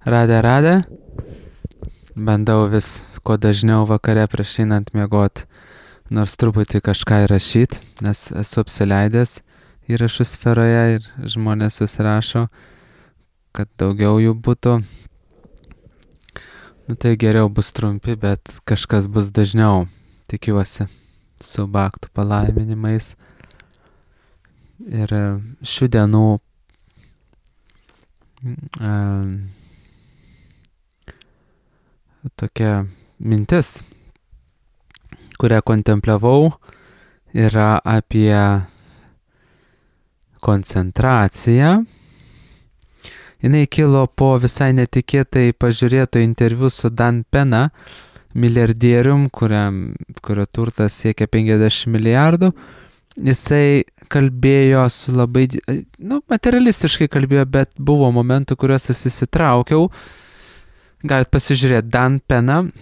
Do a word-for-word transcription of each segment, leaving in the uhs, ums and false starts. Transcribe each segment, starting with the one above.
Radė, radė. Bandau vis kuo dažniau vakare prieš einant miegot, nors truputį kažką įrašyt, nes esu apsileidęs įrašų sferoje ir žmonės susirašo, kad daugiau jų būtų. Nu tai geriau bus trumpi, bet kažkas bus dažniau, tikiuosi, su baktų palaiminimais. Ir šių dienų um, tokia mintis, kurią kontempliavau, yra apie koncentraciją. Jinai kilo po visai netikėtai pažiūrėto interviu su Dan Pena, milijardierium, kuriam, kurio turtas siekia penkiasdešimt milijardų. Jisai kalbėjo su labai, nu, materialistiškai kalbėjo, bet buvo momentų, kuriuos aš įsitraukiau. Galit pasižiūrėti Dan Peną.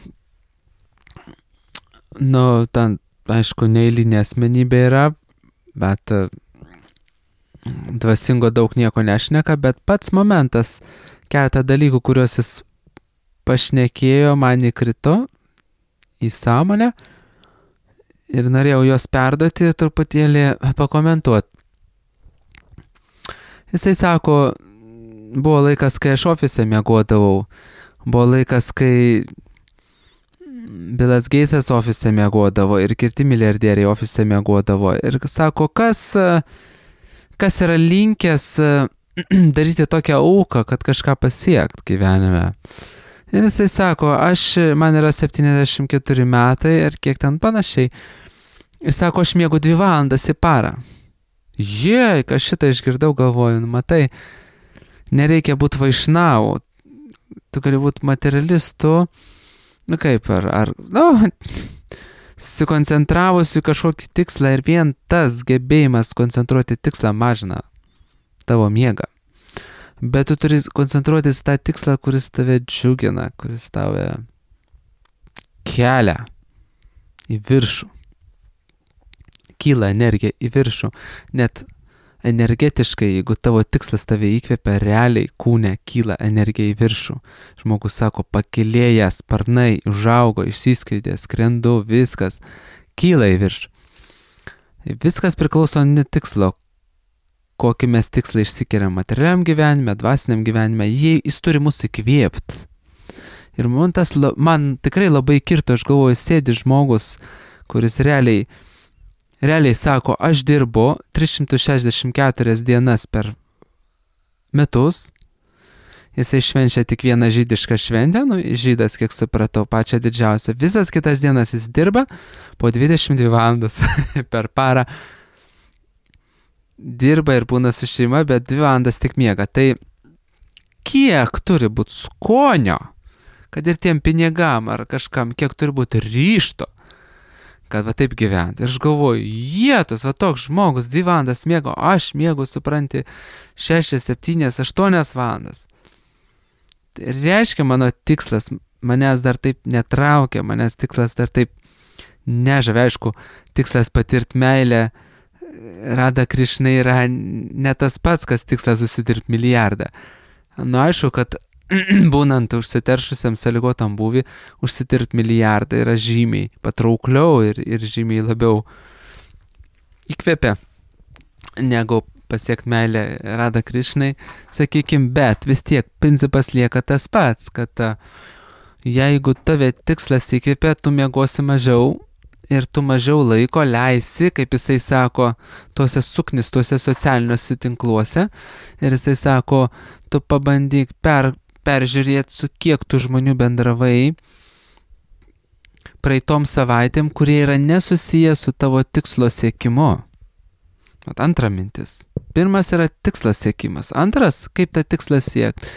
Nu, ten, aišku, neeilinė asmenybė yra, bet dvasingo daug nieko nešneka, bet pats momentas, keletą dalykų, kuriuos jis pašnekėjo, man įkrito į sąmonę ir norėjau juos perduoti ir truputėlį pakomentuoti. Jisai sako, buvo laikas, kai aš ofise miegodavau, buvo laikas, kai Billas Gatesas ofise miegodavo ir kiti milijardieriai ofise miegodavo. Ir sako, kas... kas yra linkęs daryti tokią auką, kad kažką pasiekt gyvenime. Ir jisai sako, aš, man yra septyniasdešimt keturi metai ir kiek ten panašiai. Ir sako, aš miegu dvi valandas į parą. Jei, kas šitą išgirdau, galvoju, nu matai, nereikia būti vaišnau, tu gali būti materialistu, nu kaip, ar, ar nu... susikoncentravus į kažkokį tikslą ir vien tas gebėjimas koncentruoti tikslą mažina tavo miegą. Bet tu turi koncentruotis tą tikslą, kuris tave džiugina, kuris tave kelia į viršų. Kyla energija į viršų. Net energetiškai, jeigu tavo tikslas tave įkvepia, realiai kūne kyla energija į viršų. Žmogus sako, pakilėja, sparnai, užaugo, išsiskleidė, skrendu, viskas kyla į viršų. Viskas priklauso ne tikslo, kokį mes tikslą išsikeliam materialiam gyvenime, dvasiniam gyvenime, jei jis turi mus įkvėpt. Ir man, tas, man tikrai labai kirto, aš galvoju, sėdi žmogus, kuris realiai Realiai sako, aš dirbu tris šimtus šešiasdešimt keturias dienas per metus. Jisai švenčia tik vieną žydišką šventę, nu, žydas, kiek supratau, pačią didžiausią. Visas kitas dienas jis dirba po dvidešimt dvi valandas per parą. Dirba ir būna su šeima, bet dvi valandas tik miega. Tai kiek turi būti skonio, kad ir tiem pinigam ar kažkam, kiek turi būti ryžto, kad va taip gyventi. Ir aš galvoju, jėtus, va toks žmogus dvi valandas miego, aš miegu, supranti, šešias, septynias, aštuonias valandas. Tai reiškia, mano tikslas, manęs dar taip netraukia, manęs tikslas dar taip nežavia, aišku, tikslas patirti meilę, Rada Krišnai yra ne tas pats, kas tikslas susidirbti milijardą. Nu, aišku, kad būnant užsiteršusiam sąlygotam būvį, užsitirti milijardą yra žymiai patraukliau ir, ir žymiai labiau įkvepia, negu pasiekti meilę Rada Krišnai, sakykim, bet vis tiek principas lieka tas pats, kad jeigu tave tikslas įkvepia, tu miegosi mažiau ir tu mažiau laiko leisi, kaip jisai sako, tuose suknis, tuose socialiniuose tinkluose, ir jisai sako, tu pabandyk per peržiūrėti, su kiek tų žmonių bendravai praeitom savaitėm, kurie yra nesusiję su tavo tikslo siekimu. Vat antra mintis. Pirmas yra tikslas siekimas. Antras, kaip tą tikslą siekti.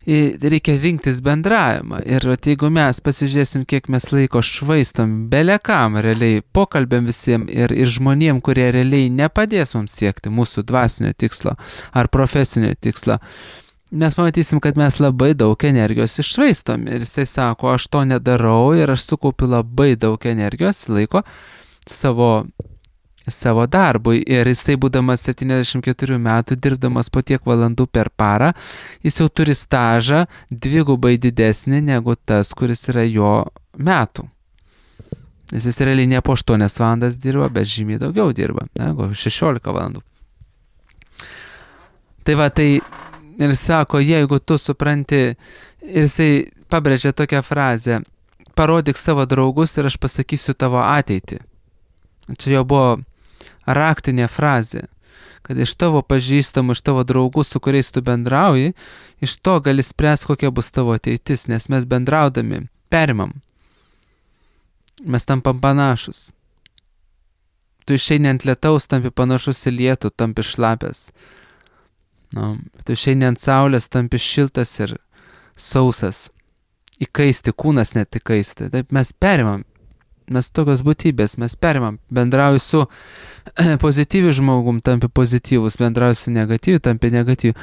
Reikia rinktis bendravimą. Ir jeigu mes pasižiūrėsim, kiek mes laiko švaistom belekam realiai pokalbėm visiems ir, ir žmonėm, kurie realiai nepadės mums siekti mūsų dvasinio tikslo ar profesinio tikslo, mes pamatysim, kad mes labai daug energijos iššvaistom. Ir jisai sako, aš to nedarau ir aš sukaupiu labai daug energijos, laiko savo savo darbui ir jisai būdamas septyniasdešimt keturių metų, dirbdamas po tiek valandų per parą, jis jau turi stažą dvigubai didesnį negu tas, kuris yra jo metų. Nes jis realiai ne po aštuonias valandas dirba, bet žymiai daugiau dirba, negu šešiolika valandų. Tai va, tai ir sako, jeigu tu supranti, ir jisai pabrėžia tokią frazę, parodyk savo draugus ir aš pasakysiu tavo ateitį. Čia jau buvo raktinė frazė, kad iš tavo pažįstamų, iš tavo draugų, su kuriais tu bendrauji, iš to gali spręsti, kokia bus tavo ateitis, nes mes bendraudami perimam. Mes tampam panašus. Tu išeini ant lietaus, tampi panašus į lietų, tampi šlapės. Nu, tu išeini ant saulės, tampi šiltas ir sausas. Įkaisti, kūnas net įkaisti. Taip mes perimam. Mes tokios būtybės, mes perimam. Bendrauju su pozityviu žmogum, tampi pozityvus. Bendrauju su negatyviu, tampi negatyviu.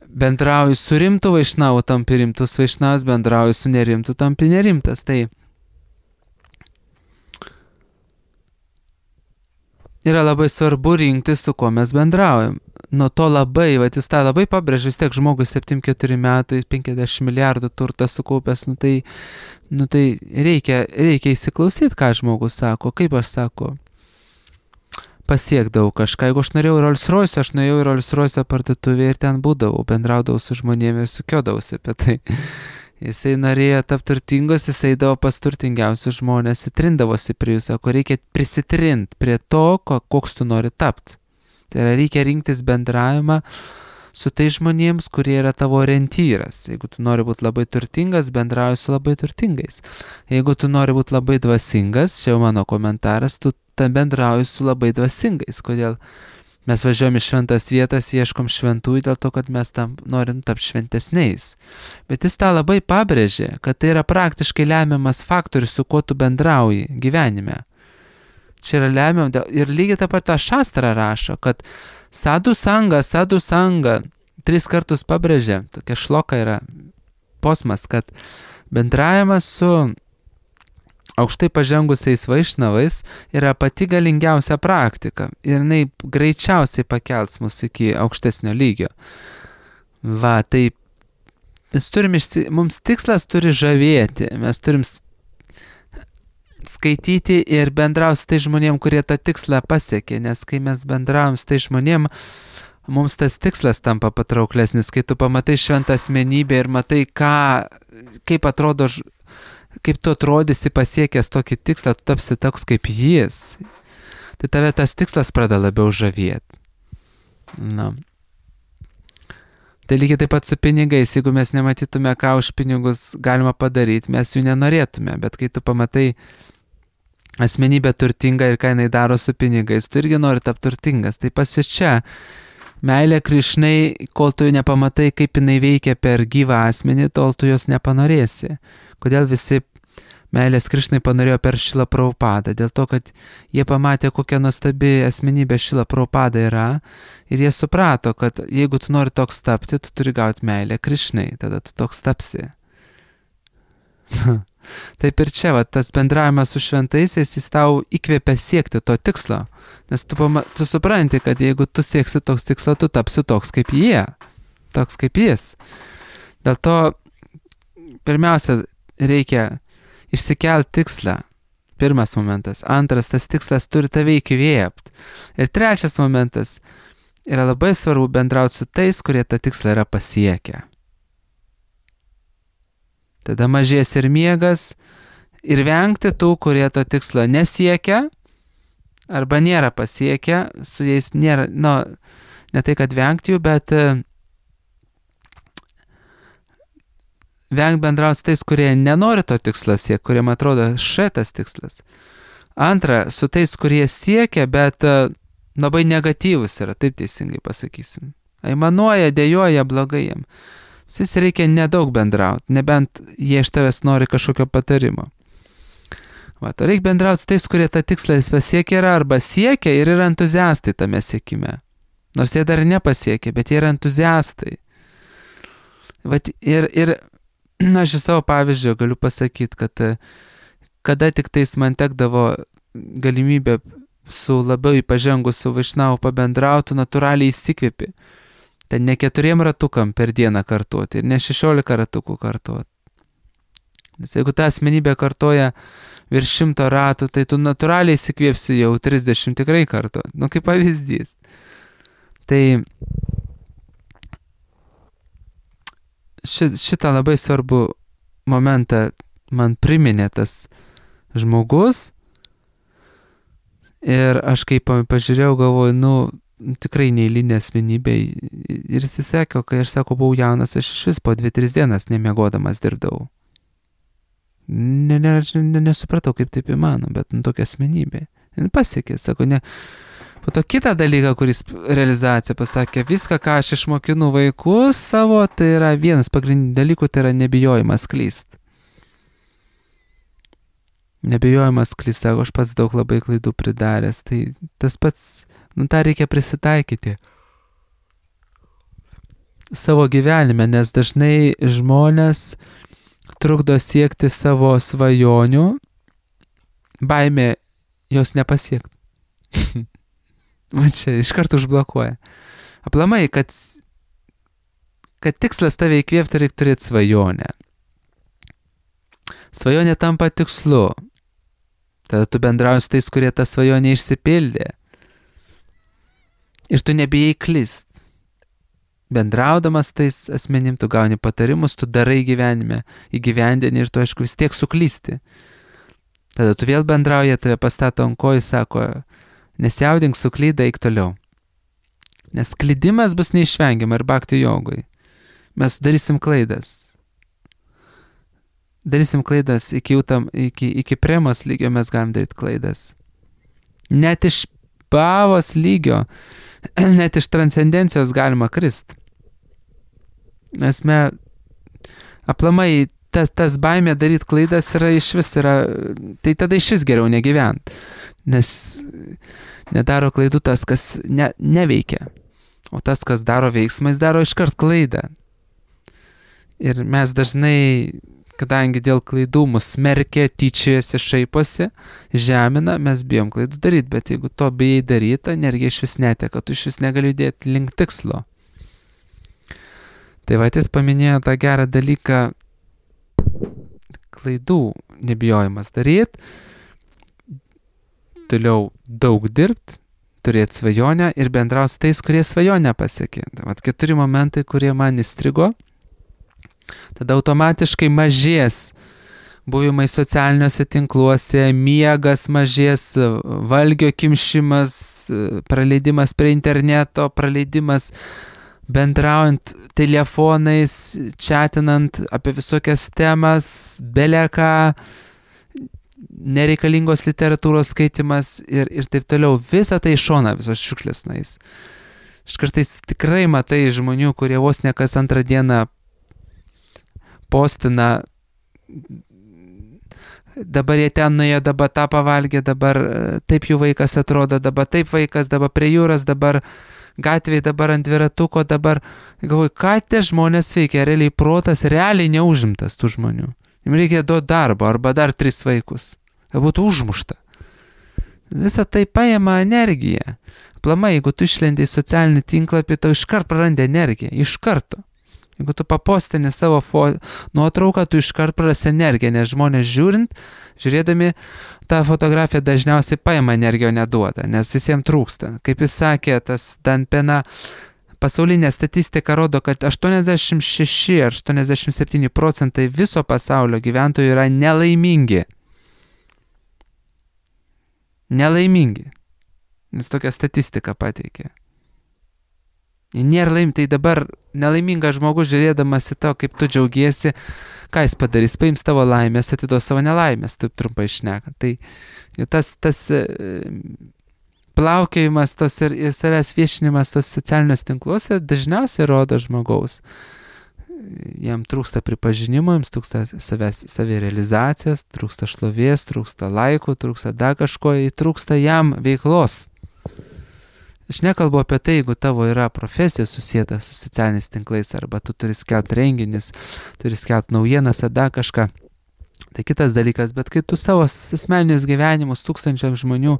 Bendrauju su rimtu vaišnavu, tampi rimtus vaišnavas. Bendrauju su nerimtu, tampi nerimtas. Tai yra labai svarbu rinktis, su kuo mes bendraujam. Nuo to labai, va, jis tą labai pabrėžia, vis tiek žmogus septyniasdešimt keturi metų, penkiasdešimt milijardų turtą sukaupęs, nu tai, nu tai reikia, reikia įsiklausyti, ką žmogus sako, kaip aš sako, pasiekdavau kažką. Jeigu aš norėjau Rolls Royce, aš nuėjau į Rolls Royce parduotuvę ir ten būdavau, bendraudavau su žmonėmis ir sukiodavausi apie tai. Jisai norėjo tapti turtingus, jisai eidavo pas turtingiausius žmonės, įtrindavosi prie jų, sako, reikia prisitrint prie to, koks tu nori tapti. Tai yra, reikia rinktis bendravimą su tai žmonėms, kurie yra tavo orientyras. Jeigu tu nori būti labai turtingas, bendrauji su labai turtingais. Jeigu tu nori būti labai dvasingas, čia jau mano komentaras, tu tam bendrauji su labai dvasingais. Kodėl? Mes važiuojam į šventas vietas, ieškom šventųjų dėl to, kad mes tam norim tapti šventesniais. Bet jis tą labai pabrėžė, kad tai yra praktiškai lemiamas faktorius, su kuo tu bendrauji gyvenime. Čia yra lemiam, ir lygiai taip pat tą šastrą rašo, kad sadhu sanga, sadhu sanga, tris kartus pabrėžė, tokia šloka yra posmas, kad bendravimas su aukštai pažengusiais vaišnavais yra pati galingiausia praktika ir jinai greičiausiai pakels mus iki aukštesnio lygio. Va, tai mes turim, išsi... mums tikslas turi žavėti, mes turim skaityti ir bendrauti su tai žmonėm, kurie tą tikslą pasiekė, nes kai mes bendraujam su tai žmonėm, mums tas tikslas tampa patrauklesnis, kai tu pamatai šventą asmenybę ir matai, ką, kaip atrodo, kaip tu atrodysi pasiekęs tokį tikslą, tu tapsi toks kaip jis. Tai tave tas tikslas pradeda labiau žavėti. Na. Tai lygiai taip pat su pinigais, jeigu mes nematytume, ką už pinigus galima padaryti, mes jų nenorėtume, bet kai tu pamatai asmenybę turtingą ir ką jinai daro su pinigais, tu irgi nori tapti turtingas. Tai pasis čia, meilė Krišnai, kol tu nepamatai, kaip jinai veikia per gyvą asmenį, tol tu jos nepanorėsi. Kodėl visi meilės Krišnai panorėjo per Šrila Prabhupadą? Dėl to, kad jie pamatė, kokia nuostabi asmenybė Šrila Prabhupada yra ir jie suprato, kad jeigu tu nori toks tapti, tu turi gauti meilę Krišnai, tada tu toks tapsi. Taip ir čia, va, tas bendravimas su šventaisiais, jis tau įkvėpia siekti to tikslo, nes tu, pama, tu supranti, kad jeigu tu sieksi toks tikslo, tu tapsi toks kaip jie, toks kaip jis. Dėl to pirmiausia, reikia išsikelti tikslą. Pirmas momentas. Antras, tas tikslas turi tave įkvėpti. Ir trečias momentas, yra labai svarbu bendrauti su tais, kurie tą tikslą yra pasiekę. Tada mažės ir miegas ir vengti tų, kurie to tikslo nesiekia arba nėra pasiekę, su jais nėra, nu, ne tai, kad vengti jų, bet vengt bendrauti su tais, kurie nenori to tikslo siekti, kuriem atrodo šitas tikslas. Antra, su tais, kurie siekia, bet labai negatyvus yra, taip teisingai pasakysim. Aimanuoja, dejuoja blogai jiem. Su jais reikia nedaug bendrauti, nebent jie iš tavęs nori kažkokio patarimo. Va, to reikia bendrauti su tais, kurie tą tikslą pasiekia yra, arba siekia ir yra entuziastai tame siekime. Nors jie dar nepasiekia, bet jie yra entuziastai. Va, ir, ir na, aš iš savo pavyzdžio galiu pasakyti, kad kada tik tais man tekdavo galimybė su labiau pažengusiu vaišnavu pabendrautų, natūraliai įsikvėpi. Ten ne keturiem ratukam per dieną kartuoti ir ne šešiolika ratukų kartuoti. Nes jeigu ta asmenybė kartoja virš šimto ratų, tai tu natūraliai įsikvėpsi jau trisdešimt tikrai kartuoti. Nu, kaip pavyzdys. Tai ši, šitą labai svarbų momentą man priminė tas žmogus. Ir aš kaip pažiūrėjau, galvoju, nu, tikrai neįlinė asmenybė. Ir jis įsakė, kai aš sako, buvau jaunas, aš iš vis po dvi tris dienas nemiegodamas dirbdavau. Ne, ne, aš ne, nesupratau, kaip taip įmano, bet nu, tokia asmenybė. Ir pasiekė, sako, ne. Po to kitą dalyką, kuris realizacija pasakė, viską, ką aš išmokinu vaikus savo, tai yra vienas pagrindinių dalykų, tai yra nebijojimas klyst. Nebijojimas klyst, sako, aš pats daug labai klaidų pridaręs, tai tas pats, nu tą reikia prisitaikyti savo gyvenime, nes dažnai žmonės trukdo siekti savo svajonių, baimė jos nepasiekti. Man čia iš karto užblokuoja. Aplamai, kad, kad tikslas tave įkvėpti, reikia turėti svajonę. Svajonė tampa tikslu. Tada tu bendrauji su tais, kurie tą svajonę išsipildė. Ir tu nebijai klyst. Bendraudamas tais asmenim, tu gauni patarimus, tu darai gyvenime, įgyvendini ir tu, aišku, vis tiek suklysti. Tada tu vėl bendrauji, tave pastato ant kojų, sako, nesijaudink, suklydai, eik toliau. Nes klydimas bus neišvengiama ir bhakti jogui. Mes darysim klaidas. Darysim klaidas iki, utam, iki, iki premos lygio mes galim daryti klaidas. Net iš bhavos lygio, net iš transcendencijos galima krist. Nes me, aplamai, tas, tas baimė daryti klaidas yra iš vis, yra, tai tada iš vis geriau negyvent. Nes nedaro klaidų tas, kas ne, neveikia. O tas, kas daro veiksmais, daro iškart klaidą. Ir mes dažnai, kadangi dėl klaidų mus smerkia, tyčiojasi, šaiposi, žemina, mes bijom klaidų daryti, bet jeigu to bijai daryti, energija iš vis neteka, tu iš vis negali judėti link tikslo. Tai va, jis paminėjo tą gerą dalyką, klaidų nebijojimas daryti, toliau daug dirbti, turėti svajonę ir bendrauti su tais, kurie svajonę pasiekė. Tai va, keturi momentai, kurie man įstrigo. Tada automatiškai mažės buvimai socialiniuose tinkluose, miegas mažės, valgio kimšimas, praleidimas prie interneto, praleidimas bendraujant telefonais, chatinant apie visokias temas, beleką, nereikalingos literatūros skaitimas ir, ir taip toliau. Visą tai šona, visos šiukšlės nueis. Aš kartais tikrai matai žmonių, kurie vos ne kas antrą dieną postina, dabar jie ten nuėjo, dabar tą pavalgė, dabar taip jų vaikas atrodo, dabar taip vaikas, dabar prie jūros, dabar gatvėje, dabar ant dviratuko, dabar, galvoju, ką tie žmonės veikia, realiai protas realiai neužimtas tų žmonių. Jums reikia duoti darbo, arba dar tris vaikus, kad būtų užmušta. Visą tai paima energiją. Aplamai, jeigu tu išlendi į socialinį tinklapį, tau iškart prarandi energiją, iš karto. Jeigu tu papostini savo fo- nuotrauką, tu iškart prarasi energiją, nes žmonės žiūrint, žiūrėdami tą fotografiją dažniausiai paima energiją, o neduoda, nes visiems trūksta. Kaip jis sakė, tas Dan Pena, pasaulinė statistika rodo, kad aštuoniasdešimt šeši ar aštuoniasdešimt septyni procentai viso pasaulio gyventojų yra nelaimingi. Nelaimingi. Nes tokia statistika pateikė. Nėra laim, tai dabar nelaimingas žmogus žiūrėdamas į to, kaip tu džiaugiesi, ką jis padarys, paims tavo laimės, atiduos savo nelaimės, taip trumpai šneka. Tai tas, tas plaukiojimas, tos ir, ir savęs viešinimas tos socialiniuose tinkluose dažniausiai rodo žmogaus. Jam trūksta pripažinimo, jums trūksta savęs, savirealizacijos, trūksta šlovės, trūksta laikų, trūksta dar kažko, trūksta jam veiklos. Aš nekalbu apie tai, jeigu tavo yra profesija susijęta su socialiniais tinklais, arba tu turi skelbti renginius, turi skelbti naujienas, ar dar kažką. Tai kitas dalykas, bet kai tu savo asmeninius gyvenimus tūkstančiam žmonių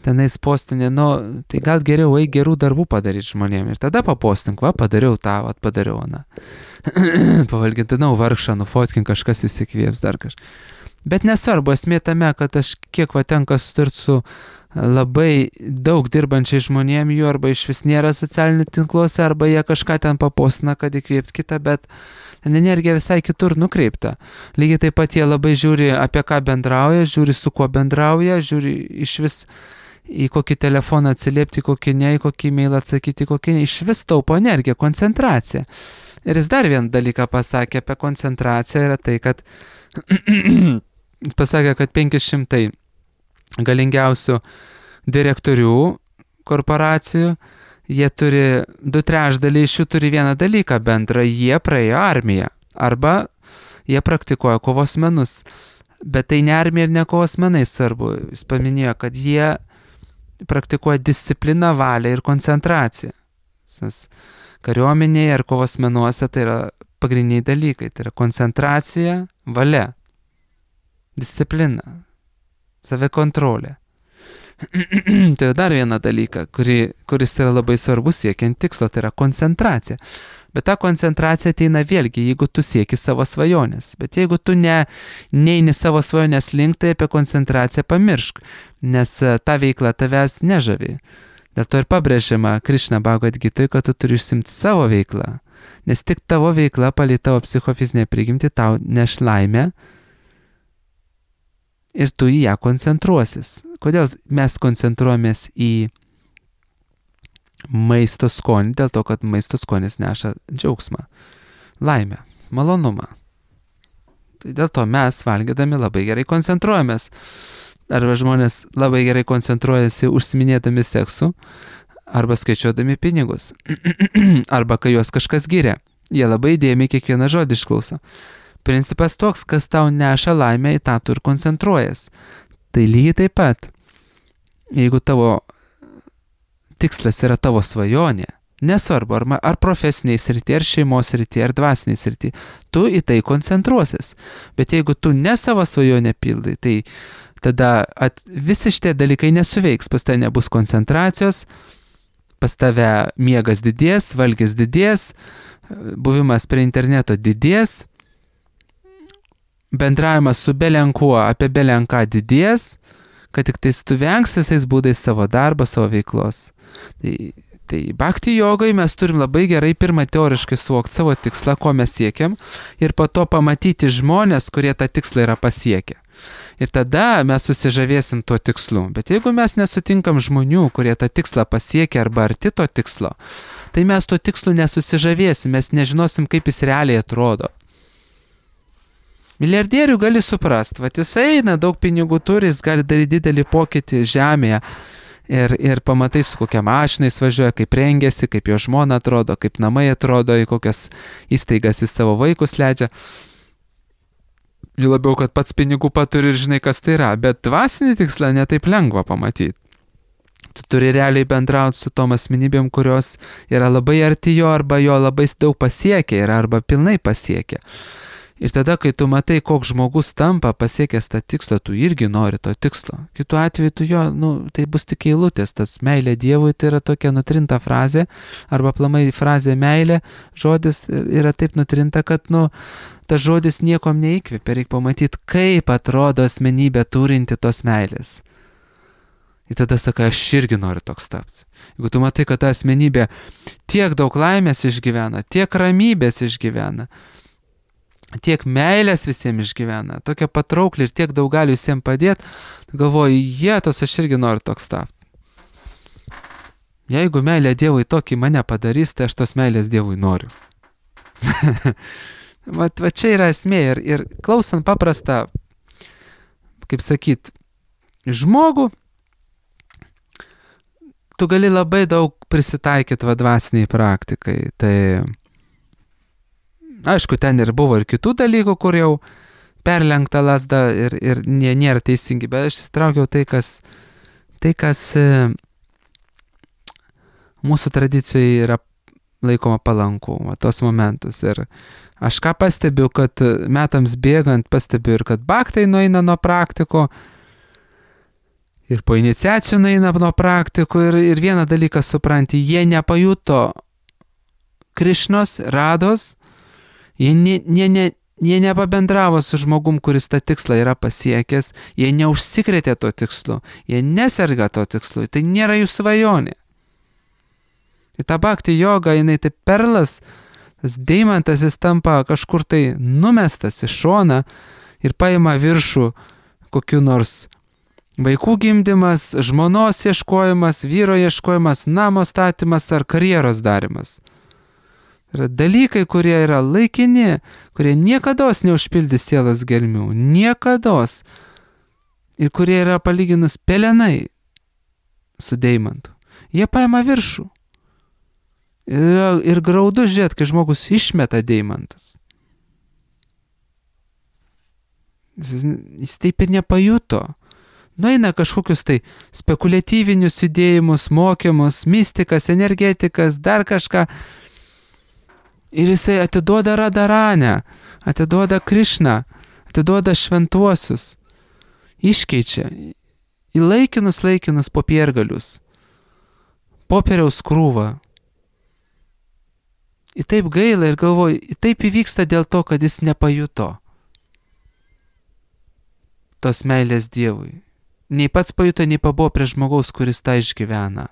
tenais postinė, nu, tai gal geriau eik gerų darbų padaryti žmonėm. Ir tada papostink, va, padariau tą, va, padariau, na. Pavalgintinau vargšą, nufotkink, kažkas įsikvėps dar kažkas. Bet nesvarbu, esmė tame, kad aš kiek va tenka sutarti su labai daug dirbančiai žmonėm, jų arba iš vis nėra socialinių tinkluose, arba jie kažką ten papostina, kad įkvėpt kitą, bet energija visai kitur nukreipta. Lygiai taip pat jie labai žiūri, apie ką bendrauja, žiūri su kuo bendrauja, žiūri iš vis į kokį telefoną atsiliepti, kokį ne, į kokį e-mailą atsakyti, kokį ne, iš vis taupo energiją, koncentraciją. Ir jis dar vieną dalyką pasakė apie koncentraciją, yra tai, kad pasakė, kad penki šimtai galingiausių direktorių korporacijų, jie turi, du trečdaliai iš jų turi vieną dalyką bendrą, jie praėjo armiją, arba jie praktikuoja kovos menus. Bet tai ne armija ir ne kovos menai svarbu. Jis paminėjo, kad jie praktikuoja discipliną, valią ir koncentraciją. Sas kariuomenėje ar kovos menuose tai yra pagrindiniai dalykai. Tai yra koncentracija, valia, disciplina, savikontrolė. Tai dar vieną dalyką, kuri, kuris yra labai svarbus siekiant tikslo, tai yra koncentracija. Bet ta koncentracija ateina vėlgi, jeigu tu sieki savo svajonės. Bet jeigu tu ne, neini savo svajonės link, tai apie koncentraciją pamiršk, nes ta veikla tavęs nežavi. Dėl to ir pabrėžiama Krišna Bhagavad Gitoj, kad tu turi užsimti savo veiklą, nes tik tavo veikla palei tavo psichofizinę prigimtį tau neš laimę ir tu į ją koncentruosis. Kodėl mes koncentruojamės į maisto skonį? Dėl to, kad maisto skonis neša džiaugsmą, laimę, malonumą. Tai dėl to mes valgydami labai gerai koncentruojamės. Arba žmonės labai gerai koncentruojasi užsiminėdami seksu, arba skaičiuodami pinigus, arba kai juos kažkas giria. Jie labai įdėmiai kiekvieną žodį išklauso. Principas toks, kas tau neša laimę, į tą tu ir koncentruojas. Tai lygiai taip pat, jeigu tavo tikslas yra tavo svajonė, nesvarbu, ar, ar profesiniai srity, ar šeimos srity, ar dvasiniai srity, tu į tai koncentruosies. Bet jeigu tu ne savo svajonę pildai, tai tada at, visi šitie dalykai nesuveiks, pas tave nebus koncentracijos, pas tave miegas didės, valgis didės, buvimas prie interneto didės, bendravimas su belenkuo apie belenką didės, kad tik tais tu vengs visais būdais savo darbą, savo veiklos. Tai, tai bhakti jogai mes turim labai gerai pirmą teoriškai suvokti savo tikslą, ko mes siekiam, ir po to pamatyti žmonės, kurie tą tikslą yra pasiekę. Ir tada mes susižavėsim tuo tikslu. Bet jeigu mes nesutinkam žmonių, kurie tą tikslą pasiekia arba arti to tikslo, tai mes tuo tikslu nesusižavėsim, mes nežinosim, kaip jis realiai atrodo. Milijardierių gali suprast, va jis eina, daug pinigų turi, jis gali daryti didelį pokytį žemėje ir, ir pamatai, su kokia mašina jis važiuoja, kaip rengiasi, kaip jo žmona atrodo, kaip namai atrodo, į kokias įstaigas jis savo vaikus leidžia. Jų labiau, kad pats pinigų paturi ir žinai, kas tai yra, bet dvasinį tikslą netaip lengva pamatyti. Tu turi realiai bendrauti su tom asmenybėm, kurios yra labai arti jo arba jo labai daug pasiekia yra arba pilnai pasiekia. Ir tada, kai tu matai, koks žmogus tampa pasiekęs tą tikslą, tu irgi nori to tikslo. Kitu atveju tu jo, nu, tai bus tik eilutės, tas meilė Dievui tai yra tokia nutrinta frazė, arba aplamai frazė meilė, žodis yra taip nutrinta, kad, nu, tas žodis niekom neįkvėpia, reikia pamatyti, kaip atrodo asmenybė turinti tos meilės. Ir tada sakai, aš irgi noriu toks tapti. Jeigu tu matai, kad ta asmenybė tiek daug laimės išgyvena, tiek ramybės išgyvena, tiek meilės visiems išgyvena, tokia patraukli ir tiek daug gali visiems padėti, galvoju, jėtos, aš irgi noriu toks tapti. Jeigu meilė Dievui tokį mane padarys, tai aš tos meilės Dievui noriu. va, va čia yra esmė ir, ir klausant paprastą, kaip sakyt, žmogų, tu gali labai daug prisitaikyti vadvasiniai praktikai, tai aišku, ten ir buvo ir kitų dalykų, kur jau perlenkta lasda ir, ir nė, nėra teisingi, bet aš įsitraukiau tai, kas, tai, kas e, mūsų tradicijoje yra laikoma palanku, va, tos momentus. Ir aš ką pastebiu, kad metams bėgant pastebiu ir kad bhaktai nueina nuo praktiko ir po iniciacijų nueina nuo praktikų ir, ir vieną dalyką supranti, jie nepajuto Krišnos, Rados, jie, ne, jie, ne, jie nepabendravo su žmogum, kuris tą tikslą yra pasiekęs, jie neužsikrėtė to tikslu, jie neserga to tikslu, tai nėra jų svajonė. Ir ta bhakti joga, jinai tai perlas, tas deimantas, jis tampa kažkur tai numestas į šoną ir paima viršų kokiu nors vaikų gimdymas, žmonos ieškojimas, vyro ieškojimas, namo statymas ar karjeros darimas. Yra dalykai, kurie yra laikini, kurie niekados neužpildys sielos gelmių, niekados. Ir kurie yra palyginus pelenai su deimantu. Jie paima viršų. Ir, ir graudu žiūrėt, kai žmogus išmeta deimantas. Jis, jis taip ir nepajuto. Nueina kažkokius tai spekuliatyvinius judėjimus, mokymus, mistikas, energetikas, dar kažką. Ir jisai atiduoda Radharanę, atiduoda Krišną, atiduoda šventuosius. Iškeičia į laikinus laikinus popiergalius. Popieriaus krūvą. Ir taip gaila ir galvoju, taip įvyksta dėl to, kad jis nepajuto tos meilės Dievui. Nei pats pajuto, nei pabuvo prie žmogaus, kuris tą išgyvena.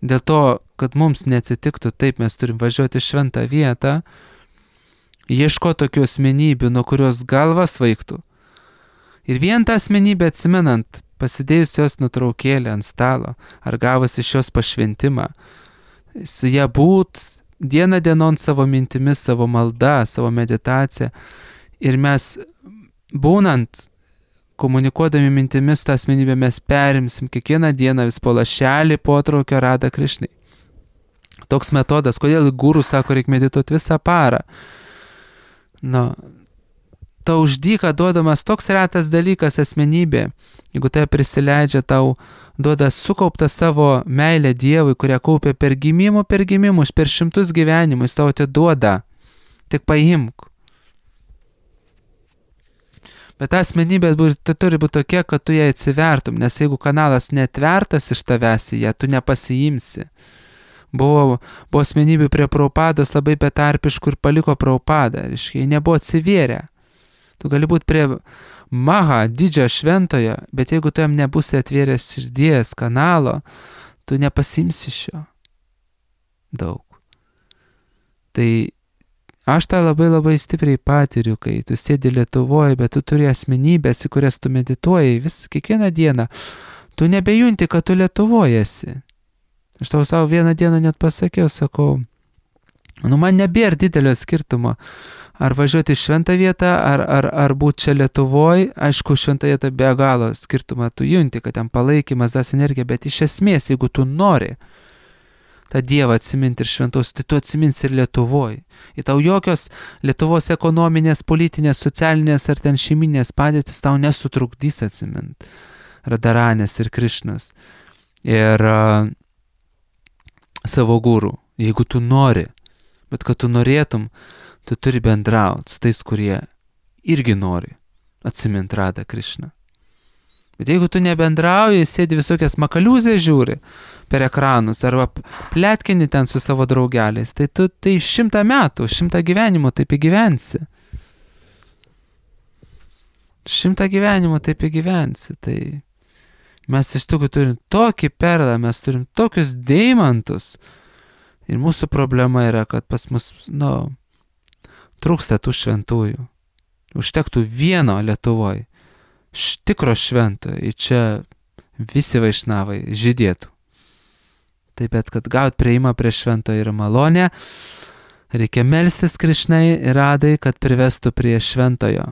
Dėl to, kad mums neatsitiktų taip, mes turim važiuoti šventą vietą, ieško tokių asmenybių, nuo kurios galva svaigtų. Ir vien tą asmenybę atsimenant, pasidėjus jos nuotraukėlę ant stalo, ar gavus iš jos pašventimą, su ją būt dieną dienon savo mintimis, savo malda, savo meditacija. Ir mes būnant, komunikuodami mintimis tą asmenybę, mes perimsim kiekvieną dieną vis po lašelį potraukio Radha Krišnai. Toks metodas, kodėl guru sako, reikia medituoti visą parą. Nu, tau už dyką duodamas toks retas dalykas asmenybė, jeigu tai prisileidžia, tau duoda sukauptą savo meilę Dievui, kurią kaupia per gimimų, per gimimus, per šimtus gyvenimų, jis tau atiduoda. Tik paimk. Bet ta asmenybė tai turi būti tokia, kad tu ją atsivertum, nes jeigu kanalas netvertas iš tavęs į ją, tu nepasiimsi. Buvo, buvo asmenybių prie Prabhupados labai betarpiškų ir paliko Prabhupadą, reiškia, jie nebuvo atsivėrę. Tu gali būti prie Maha, didžiojo šventojo, bet jeigu tu jam nebusi atvėręs širdies kanalo, tu nepasimsi šio daug. Tai aš tą labai labai stipriai patiriu, kai tu sėdi Lietuvoje, bet tu turi asmenybės, į kurias tu medituoji vis kiekvieną dieną. Tu nebejunti, kad tu Lietuvoje esi. Aš tau savo vieną dieną net pasakiau, sakau, nu man nebėra didelio skirtumo, ar važiuoti į šventą vietą, ar, ar, ar būti čia Lietuvoje. Aišku, šventą vietą be galo skirtumą tu junti, kad ten palaikymas, das energija, bet iš esmės, jeigu tu nori tą Dievą atsiminti ir šventos, tai tu atsiminsi ir Lietuvoje. Ir tau jokios Lietuvos ekonominės, politinės, socialinės ar ten šeiminės padėtis tau nesutrukdys atsiminti Radharanės ir Krišnos. Ir uh, savo gurų, jeigu tu nori, bet kad tu norėtum, tu turi bendrauti su tais, kurie irgi nori atsiminti Radha Krišną. Bet jeigu tu nebendrauji, sėdi visokias makaliūzės žiūri per ekranus arba pletkini ten su savo draugeliais, tai tu tai šimtą metų, šimtą gyvenimų taip įgyvensi. Šimtą gyvenimų taip įgyvensi. Tai mes iš tikrųjų turim tokį perlą, mes turim tokius deimantus. Ir mūsų problema yra, kad pas mus, nu, trūksta tų šventųjų. Užtektų vieno Lietuvoje. Tikro švento, ir čia visi vaišnavai žydėtų. Taip, bet kad gaut prieimą prie švento yra malonė, reikia melstis Krišnai ir Radai, kad privestų prie šventojo.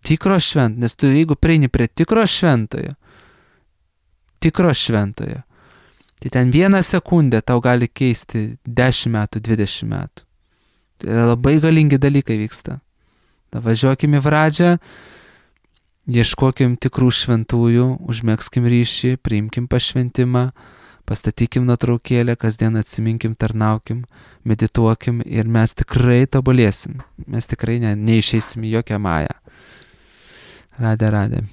Tikro švento, nes tu jeigu prieini prie tikro šventojo, tikro šventojo, tai ten vieną sekundę tau gali keisti dešimt metų, dvidešimt metų. Tai labai galingi dalykai vyksta. Da važiuokim į Vradžią, ieškokim tikrų šventųjų, užmėgskim ryšį, priimkim pašventimą, pastatykim nuotraukėlę, kasdien atsiminkim, tarnaukim, medituokim ir mes tikrai tobulėsim. Mes tikrai ne, neišeisim į jokią mają. Radė, radė.